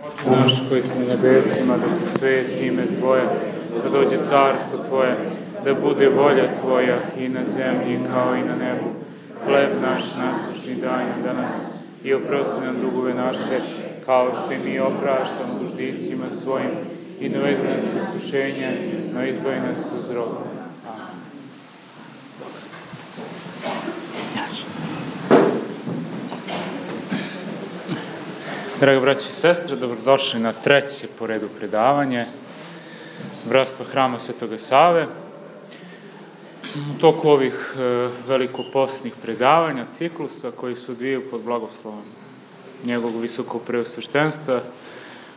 Oče naš koji si na nebesima, da se sveti ime Tvoje, da dođe carstvo Tvoje, da bude volja Tvoja i na zemlji kao i na nebu. Hleb naš nasušni daj nam danas i oprosti nam dugove naše, kao što i mi opraštamo dužnicima svojim, i ne uvedi nas u iskušenje, no izbavi nas od zla. Draga braći i sestre, dobrodošli na treće po redu predavanje Bratstva Hrama Svetoga Save. U toku ovih velikopostnih predavanja, ciklusa koji se odvijaju pod blagoslovom njegovog visokog preosveštenstva,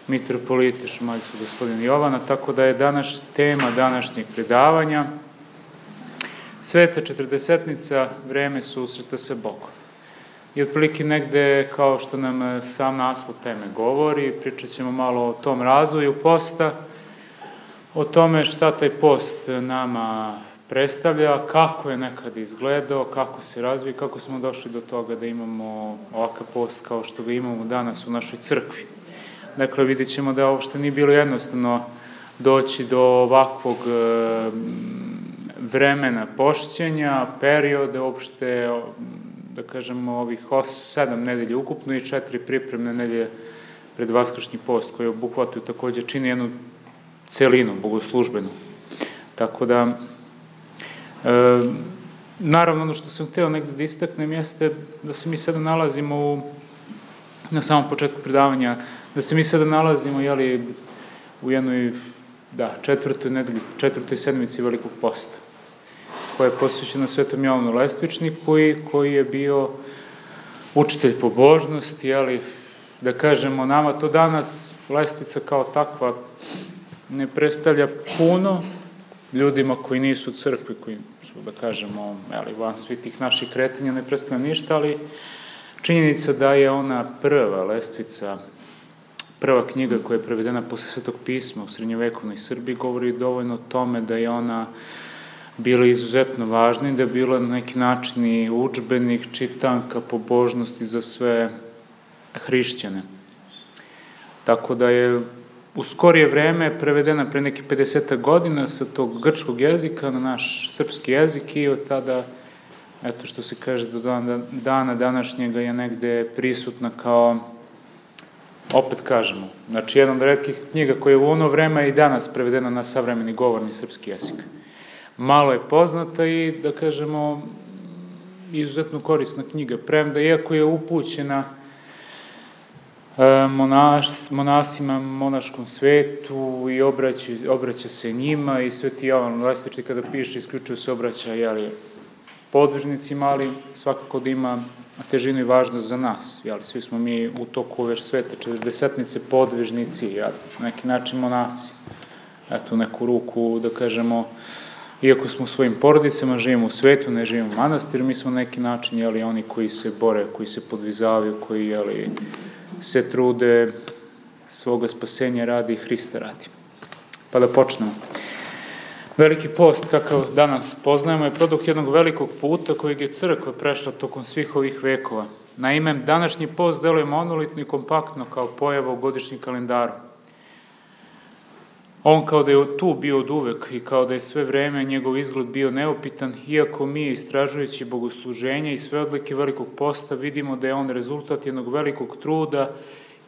mitropolita Šumadijskog gospodina Jovana, tako da je tema današnjeg predavanja Sveta Četrdesetnica, vreme susreta sa Bogom. I otprilike negde, kao što nam sam naslov teme govori, pričat ćemo malo o tom razvoju posta, o tome šta taj post nama predstavlja, kako je nekad izgledao, kako se razvije, kako smo došli do toga da imamo ovakav post kao što ga imamo danas u našoj crkvi. Dakle, vidjet ćemo da uopšte nije bilo jednostavno doći do ovakvog vremena pošćenja, perioda, uopšte, da kažemo, ovih 7 nedelja ukupno i 4 pripremne nedelje pred Vaskršnji post, koje obuhvataju takođe čini jednu celinu bogoslužbenu. Tako da, naravno, ono što sam hteo negde da istaknem jeste da se mi sada nalazimo na samom početku predavanja, da se mi sada nalazimo u jednoj četvrtoj sedmici Velikog posta, koja je posvećena Svetom Jovanu Lestvičniku i koji je bio učitelj pobožnosti, da kažemo, nama to danas Lestvica kao takva ne predstavlja puno, ljudima koji nisu u crkvi, koji su, da kažemo, van svih tih naših kretanja ne predstavlja ništa, ali činjenica da je ona prva Lestvica, prva knjiga koja je prevedena posle Svetog pisma u srednjovekovnoj Srbiji, govori dovoljno o tome da je ona bila izuzetno važna i da je bila na neki način i udžbenik, čitanka, pobožnosti za sve hrišćane. Tako da je u skorije vreme prevedena pre nekih 50 godina sa tog grčkog jezika na naš srpski jezik i od tada, eto što se kaže, do dana današnjega je negde prisutna kao, opet kažemo, znači jedan od retkih knjiga koja je u ono vreme i danas prevedena na savremeni govorni srpski jezik. Malo je poznata i, da kažemo, izuzetno korisna knjiga, premda iako je upućena monasima, monaškom svetu i obraća se njima i Sveti Jovan Lestvičnik kada piše isključivo se obraća podvižnicima, ali svakako da ima težinu i važnost za nas. Svi smo mi u toku ove Svete Četrdesetnice podvižnici, na neki način monasi. Eto, u neku ruku, da kažemo, iako smo u svojim porodicama, živimo u svetu, ne živimo u manastiru, mi smo na neki način oni koji se bore, koji se podvizavaju, koji se trude svoga spasenja radi i Hrista radi. Pa da počnemo. Veliki post, kakav danas poznajemo, je produkt jednog velikog puta kojeg je crkva prešla tokom svih ovih vekova. Naime, današnji post deluje monolitno i kompaktno kao pojava u godišnjem kalendaru. On kao da je tu bio od uvek i kao da je sve vreme njegov izgled bio neopitan, iako mi, istražujući bogosluženja i sve odlike Velikog posta, vidimo da je on rezultat jednog velikog truda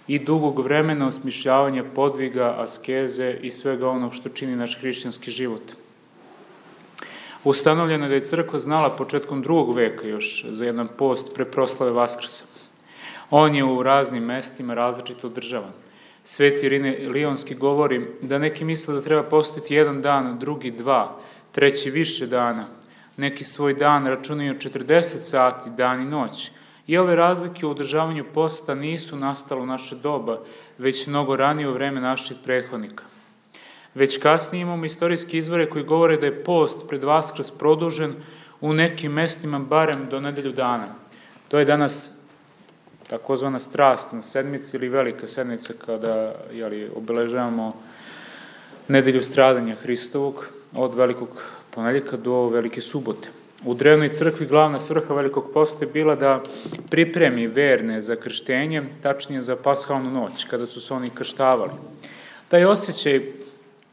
i dugog vremena osmišljavanja podviga, askeze i svega onog što čini naš hrišćanski život. Ustanovljeno je da je crkva znala početkom 2. veka još za jedan post pre proslave Vaskrsa. On je u raznim mestima različito održavan. Sveti Irine Lionski govori da neki misle da treba postiti jedan dan, drugi 2, treći više dana. Neki svoj dan računaju 40 sati, dan i noć. I ove razlike u održavanju posta nisu nastale u naše doba, već mnogo ranije u vreme naših prethodnika. Već kasnije imamo istorijske izvore koji govore da je post pred Vaskrs produžen u nekim mestima barem do nedelju dana. To je danas takozvana strastna sedmica ili velika sedmica kada obeležavamo nedelju stradanja Hristovog od Velikog ponedeljka do Velike subote. U drevnoj crkvi glavna svrha Velikog posta je bila da pripremi verne za krštenje, tačnije za pashalnu noć, kada su se oni krštavali. Taj osjećaj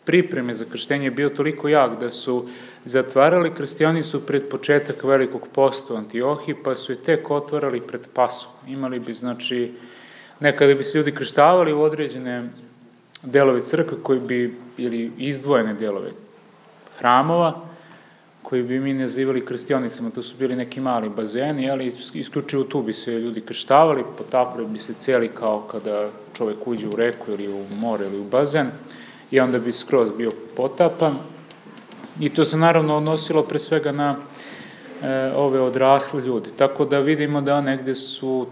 pripreme za krštenje je bio toliko jak da su zatvarali krstionicu pred početak Velikog posta u Antiohiji, pa su je tek otvarali pred Pashu. Imali bi, znači, nekada bi se ljudi krštavali u određene delove crkve koji bi, ili izdvojene delove hramova, koji bi mi nazivali krštionicama. To su bili neki mali bazeni, ali isključivo tu bi se ljudi krštavali, potapali bi se cijeli kao kada čovjek uđe u reku ili u more ili u bazen, i onda bi skroz bio potapan. I to se naravno odnosilo pre svega na ove odrasle ljude. Tako da vidimo da negde su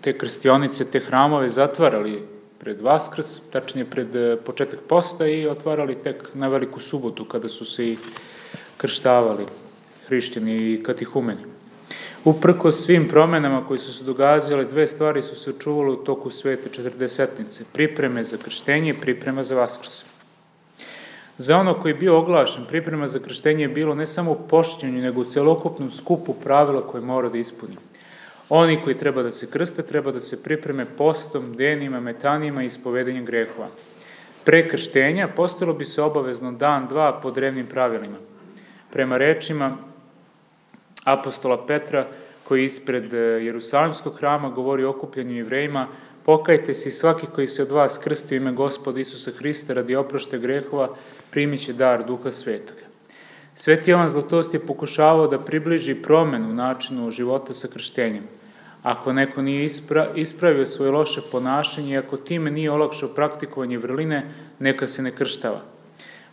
te krstionice, te hramove zatvarali pred Vaskrs, tačnije pred početak posta, i otvarali tek na Veliku subotu, kada su se i krštavali hrišćani i katihumeni. Uprkos svim promenama koje su se događale, dve stvari su se čuvale u toku svete četrdesetnice: pripreme za krštenje i priprema za Vaskrs. Za ono koji je bio oglašen, priprema za krštenje je bilo ne samo u pošćenju, nego u celokupnom skupu pravila koje mora da ispuni. Oni koji treba da se krste, treba da se pripreme postom, denima, metanima i ispovedanjem grehova. Pre krštenja postojalo bi se obavezno dan, dva po drevnim pravilima. Prema rečima apostola Petra, koji ispred Jerusalimskog hrama govori o okupljanju Jevrejima: pokajte se i svaki koji se od vas krsti u ime Gospoda Isusa Hrista radi oproštaja grehova, primit će dar Duha Svetoga. Sveti Jovan Zlatost je pokušavao da približi promenu u načinu života sa krštenjem. Ako neko nije ispravio svoje loše ponašanje i ako time nije olakšao praktikovanje vrline, neka se ne krštava.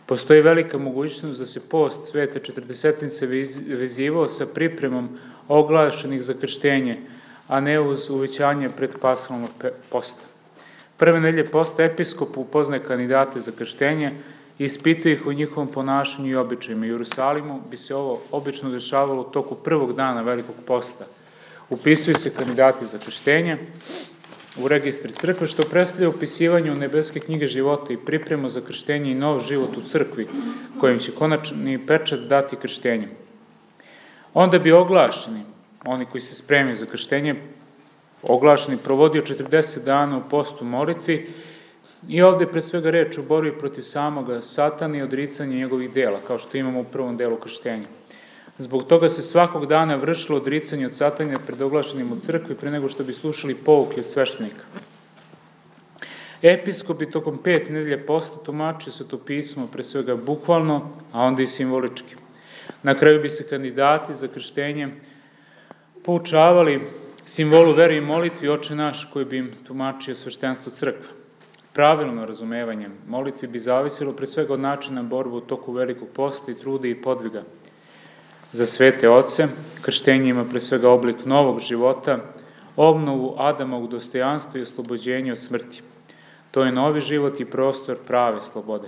Postoji velika mogućnost da se post svete četrdesetnice vezivao sa pripremom oglašenih za krštenje, a ne uz uvećanje pred pashalnog posta. Prve nedelje posta episkop upoznaje kandidate za krštenje i ispituje ih o njihovom ponašanju i običajima. U Jerusalimu bi se ovo obično dešavalo u toku prvog dana Velikog posta. Upisuju se kandidati za krštenje u registri crkve, što predstavlja upisivanje u nebeske knjige života i pripremu za krštenje i nov život u crkvi, kojim će konačni pečat dati krštenjem. Onda bi oglašeni, oni koji se spremaju za krštenje, oglašeni provodio 40 dana u postu molitvi, i ovde pre svega reč o borbi protiv samoga Satana i odricanje njegovih dela, kao što imamo u prvom delu krštenja. Zbog toga se svakog dana vršilo odricanje od Satana pred oglašenim u crkvi pre nego što bi slušali pouke od sveštenika. Episkop bi tokom 5 nedelje posta tumačio Sveto pismo pre svega bukvalno, a onda i simbolički. Na kraju bi se kandidati za krštenje poučavali simbolu vere i molitvi Oče naš, koji bi im tumačio sveštenstvo crkve. Pravilno razumevanje molitvi bi zavisilo pre svega od načina borbe u toku Velikog posta i truda i podviga. Za svete oce krštenje ima pre svega oblik novog života, obnovu Adamovog dostojanstva i oslobođenje od smrti. To je novi život i prostor prave slobode.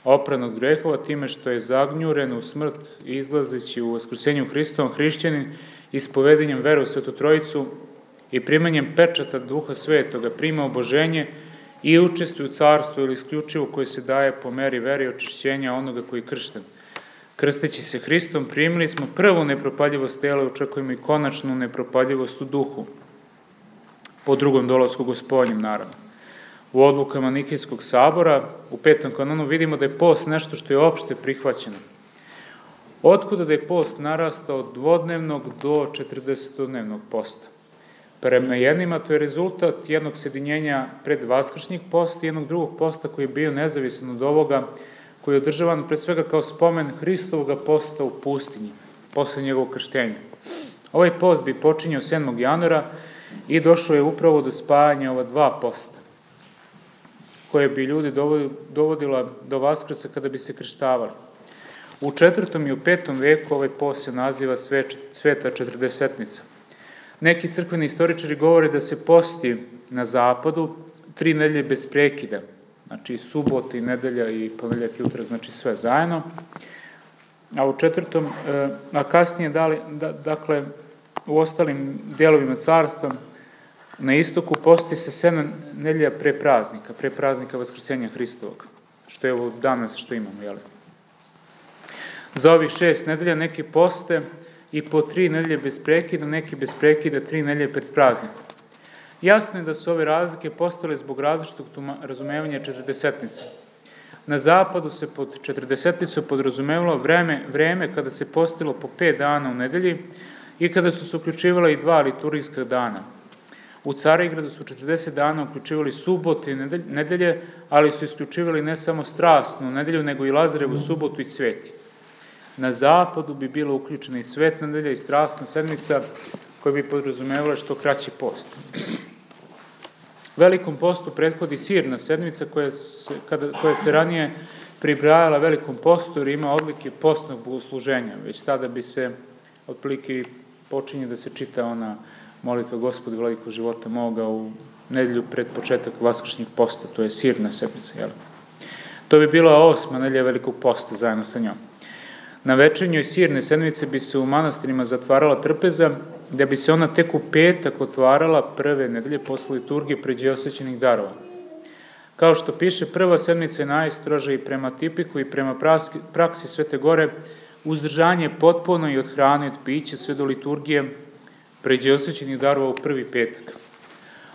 Opranog grehova time što je zagnjuren u smrt i izlazeći u vaskrsenju Hristovom hrišćanin, ispovedanjem vere u Svetu Trojicu i primanjem pečata Duha Svetoga prima oboženje i učestvuje u carstvu ili isključivo koje se daje po meri vere i očišćenja onoga koji je kršten. Krsteći se Hristom primili smo prvu nepropaljivost tela i očekujemo i konačnu nepropaljivost u duhu, po drugom dolasku Gospodnjem, naravno. U odlukama Nikejskog sabora, u 5. kanonu, vidimo da je post nešto što je opšte prihvaćeno. Otkuda da je post narastao od dvodnevnog do 40-dnevnog posta? Prema jednima to je rezultat jednog sjedinjenja pred vaskršnjeg posta i jednog drugog posta koji je bio nezavisan od ovoga, koji je održavan pre svega kao spomen Hristovoga posta u pustinji, posle njegovog krštenja. Ovaj post bi počinjao 7. januara i došao je upravo do spajanja ova dva posta, koje bi ljudi dovodila do Vaskrsa kada bi se krštavali. U 4. i u 5. veku ovaj post se naziva Sveta četrdesetnica. Neki crkveni istoričari govore da se posti na zapadu 3 nedelje bez prekida, znači subota i nedelja i ponedeljak i utorak, znači sve zajedno. A u 4. a kasnije dakle u ostalim delovima carstva na istoku posti se 7 nedelja pre praznika Vaskrsenja Hristovog, što je ovo danas što imamo, jel? Za ovih 6 nedelja neki poste i po 3 nedelje bez prekida, neki bez prekida 3 nedelje pred praznikom. Jasno je da su ove razlike postale zbog različitog razumevanja četrdesetnice. Na zapadu se pod četrdesetnicom podrazumevalo vreme kada se postilo po 5 dana u nedelji i kada su se uključivala i 2 liturgijska dana. U Carigradu su 40 dana uključivali subote i nedelje, ali su isključivali ne samo strasnu nedelju, nego i Lazarevu subotu i cveti. Na zapadu bi bilo uključena i svetna nedelja i strasna sedmica, koja bi podrazumevala što kraći post. Velikom postu prethodi sirna sedmica koja se ranije pribrajala velikom postu jer ima odlike postnog bogosluženja. Već tada bi se otprilike počinje da se čita ona molitva Gospodi vladiko života moga u nedelju pred početak vaskršnjeg posta, to je sirna sedmica. Jel? To bi bila 8. nedelja velikog posta zajedno sa njom. Na večernjoj sirne sedmice bi se u manastirima zatvarala trpeza, da bi se ona tek u petak otvarala prve nedelje posle liturgije pređe osvećenih darova. Kao što piše, prva sedmica je najstroža i prema tipiku i prema praksi Svete Gore, uzdržanje je potpuno i od hrane i od pića sve do liturgije pređe osvećenih darova u prvi petak.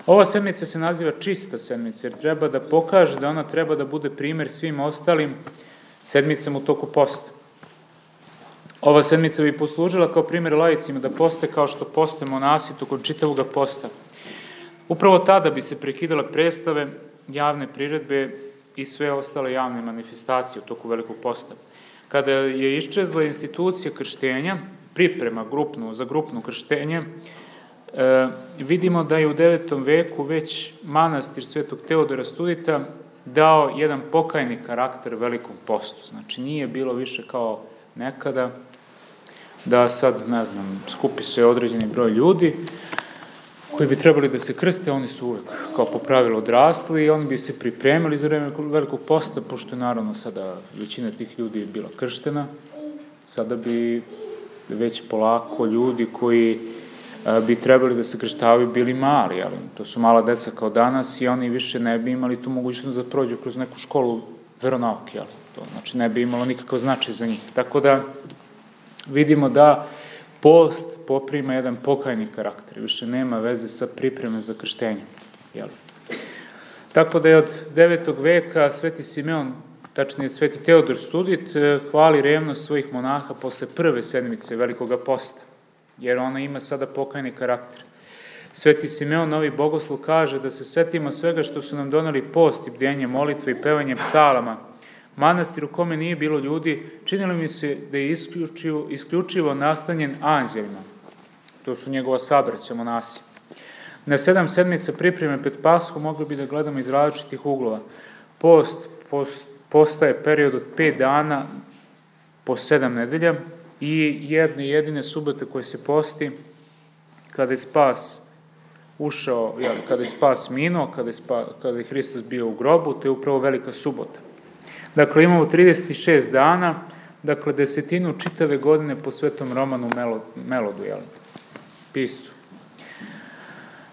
Ova sedmica se naziva čista sedmica, jer treba da pokaže da ona treba da bude primer svim ostalim sedmicama u toku posta. Ova sedmica bi poslužila kao primjer laicima da poste kao što poste monasi tokom čitavog posta. Upravo tada bi se prekidale predstave, javne priredbe i sve ostale javne manifestacije u toku velikog posta. Kada je iščezla institucija krštenja, priprema za grupno krštenje, vidimo da je u 9. veku već manastir Svetog Teodora Studita dao jedan pokajni karakter velikom postu. Znači nije bilo više kao nekada da sad, skupi se određeni broj ljudi koji bi trebali da se krste, oni su uvek kao po pravilu odrasli i oni bi se pripremili za vreme velikog posta, pošto je naravno sada većina tih ljudi je bila krštena, sada bi već polako ljudi koji bi trebali da se krštavaju bili mali, ali to su mala deca kao danas i oni više ne bi imali tu mogućnost da prođu kroz neku školu veronauke, ali to znači ne bi imalo nikakav značaj za njih. Tako da vidimo da post poprima jedan pokajni karakter, više nema veze sa pripreme za krštenje. Tako da je od 9. veka Sveti Simeon, tačnije Sveti Teodor Studit, hvali revnost svojih monaha posle prve sedmice velikoga posta, jer ona ima sada pokajni karakter. Sveti Simeon, novi bogoslov, kaže da se setimo svega što su nam doneli post i bdenje, molitve i pevanje psalama. Manastir u kome nije bilo ljudi, činilo mi se da je isključivo nastanjen anđelima. To su njegova sabraća, monasi. Na 7 sedmica pripreme pred Pashu mogli bi da gledamo iz različitih uglova. Postaje period od 5 dana po 7 nedelja i jedne jedine subote koje se posti kada je spas ušao, kada je spas minuo, kada je Hristos bio u grobu, to je upravo velika subota. Dakle, imamo 36 dana, dakle, desetinu čitave godine po Svetom Romanu Melodu, piscu.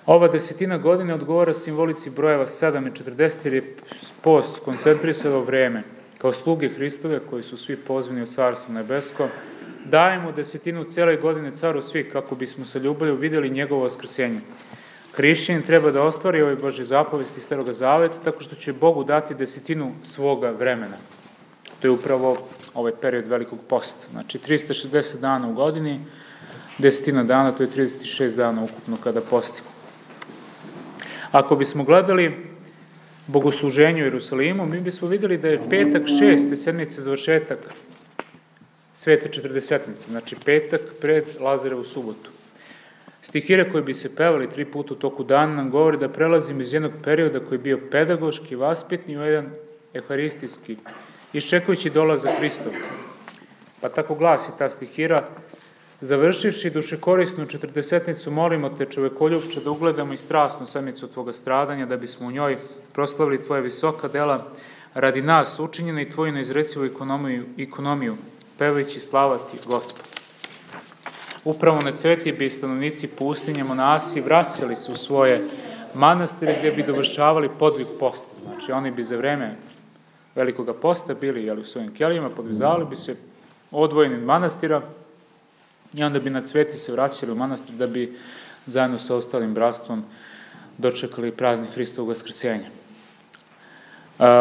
Ova desetina godine odgovara simbolici brojeva 7 i 40, jer je post koncentrisalo vreme. Kao sluge Hristove, koji su svi pozvani u Carstvo nebesko, dajemo desetinu cele godine caru svih, kako bismo sa ljubavlju videli njegovo vaskrsenje. Hrišćanin treba da ostvari ove Božje zapovesti Staroga Zaveta, tako što će Bogu dati desetinu svoga vremena. To je upravo ovaj period velikog posta. Znači, 360 dana u godini, desetina dana, to je 36 dana ukupno kada postimo. Ako bismo gledali bogosluženje u Jerusalimu, mi bismo videli da je petak 6. sedmice završetak Svete četrdesetnice, znači petak pred Lazarevu subotu. Stihire koje bi se pevali 3 puta u toku dana nam govori da prelazimo iz jednog perioda koji je bio pedagoški, vaspitni u jedan euharistijski, iščekujući dolazak Hristov. Pa tako glasi ta stihira: završivši dušekorisnu četrdesetnicu, molimo te, čovekoljubče, da ugledamo i strasnu sedmicu tvoga stradanja, da bismo u njoj proslavili tvoje visoka dela radi nas učinjena i tvoju neizrecivu ekonomiju, pevajući slava ti, Gospod. Upravo na cveti bi stanovnici pustinje, monasi, vraćali se u svoje manastire gdje bi dovršavali podvig posta. Znači, oni bi za vreme velikoga posta bili u svojim kelijama, podvizavali bi se, odvojeni od manastira i onda bi na Cveti se vraćali u manastir da bi zajedno sa ostalim bratstvom dočekali praznik Hristovog vaskrsenja.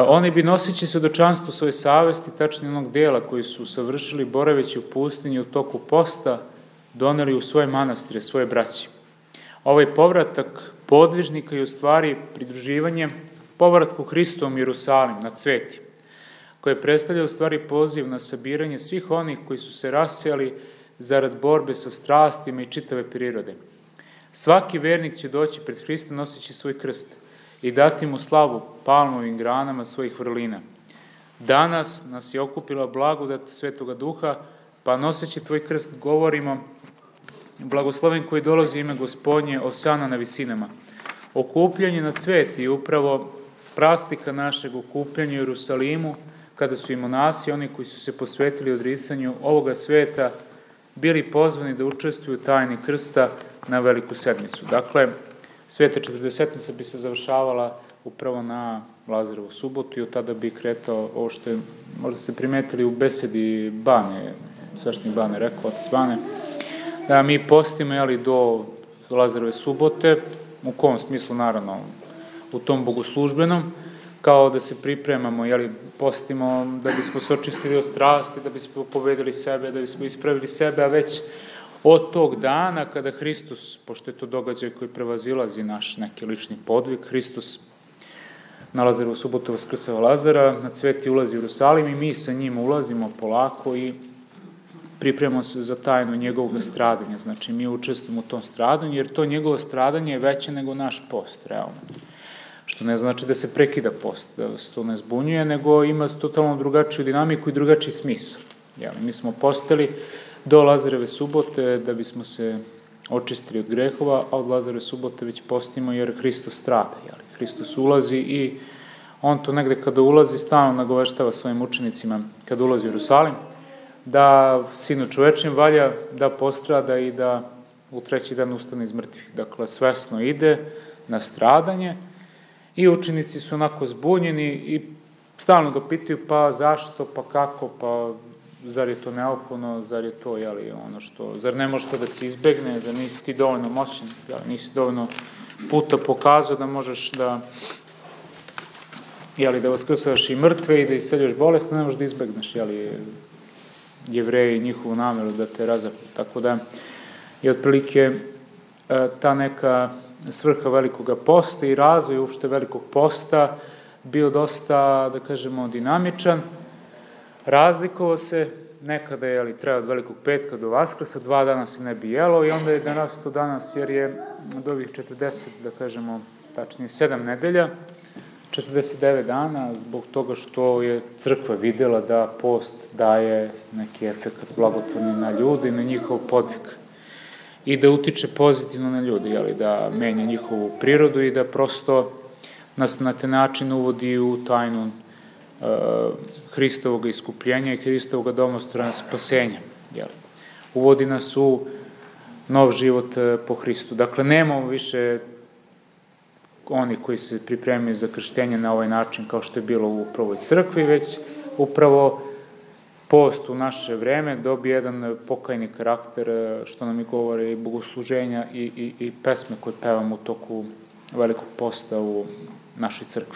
Oni bi noseći svedočanstvo svoje savesti, tačnije onog dela koji su savršili boraveći u pustinji u toku posta, doneli u svoje manastire, svoje braći. Ovaj povratak podvižnika je u stvari pridruživanje povratku Hristovom Jerusalim na Cveti, koje predstavlja u stvari poziv na sabiranje svih onih koji su se rasijali zarad borbe sa strastima i čitave prirode. Svaki vernik će doći pred Hrista noseći svoj krst i dati mu slavu palmovim granama svojih vrlina. Danas nas je okupila blagodat Svetoga Duha, pa noseći tvoj krst govorimo: blagosloven koji dolazi u ime Gospodnje, osana na visinama. Okupljanje na Cveti je upravo prastika našeg okupljanja u Jerusalimu, kada su i monasi, oni koji su se posvetili odricanju ovoga sveta, bili pozvani da učestvuju u tajni krsta na Veliku sedmicu. Dakle, Sveta četrdesetnica bi se završavala upravo na Lazarevu subotu i od tada bi kretao ovo što je, možda se primetili u besedi Bane, sveštenik Bane rekao, otac Bane, da mi postimo do Lazareve subote, u kom smislu naravno u tom bogoslužbenom, kao da se pripremamo, postimo da bismo se očistili od strasti, da bismo pobedili sebe, da bismo ispravili sebe, a već od tog dana kada Hristos, pošto je to događaj koji prevazilazi naš neki lični podvig, Hristos na Lazarevu subotu vaskrsava Lazara, na Cveti ulazi u Jerusalim i mi sa njim ulazimo polako i pripremamo se za tajnu njegovog stradanja. Znači, mi učestvujemo u tom stradanju, jer to njegovo stradanje je veće nego naš post, realno. Što ne znači da se prekida post, da se to ne zbunjuje, nego ima totalno drugačiju dinamiku i drugačiji smisao. Mi smo postali do Lazareve subote da bismo se očistili od grehova, a od Lazareve subote već postimo jer Hristos strada. Hristos ulazi i on to negde kada ulazi stalno nagoveštava svojim učenicima kada ulazi u Jerusalim, da Sinu čovečem valja da postrada i da u treći dan ustane iz mrtvih. Dakle, svesno ide na stradanje i učenici su onako zbunjeni i stalno ga pitaju pa zašto, pa kako, pa zar je to neophodno, zar je to ono što, zar ne može to da se izbegne, zar nisi ti dovoljno moćan, nisi dovoljno puta pokazao da možeš da da vaskrsaš i mrtve i da isceljaš bolest, ne možeš da izbegneš, Jevreji i njihovu nameru da te razapnu. Tako da je otprilike ta neka svrha Velikoga posta i razvoj uopšte Velikog posta bio dosta, da kažemo, dinamičan. Razlikovao se, nekada je treba od Velikog petka do Vaskrsa, 2 dana se ne bi jelo i onda je danas to danas, jer je od ovih 40, da kažemo, tačnije 7 nedelja, 49 dana, zbog toga što je crkva videla da post daje neki efekt blagotvorni na ljudi, na njihov podvig i da utiče pozitivno na ljudi, da menja njihovu prirodu i da prosto nas na te način uvodi u tajnu Hristovog iskupljenja i Hristovog domostroja spasenja. Uvodi nas u nov život po Hristu. Dakle, nemamo više oni koji se pripremaju za krštenje na ovaj način kao što je bilo u prvoj crkvi, već upravo post u naše vreme dobije jedan pokajni karakter, što nam i govore i bogosluženja i pesme koje pevamo u toku Velikog posta u našoj crkvi.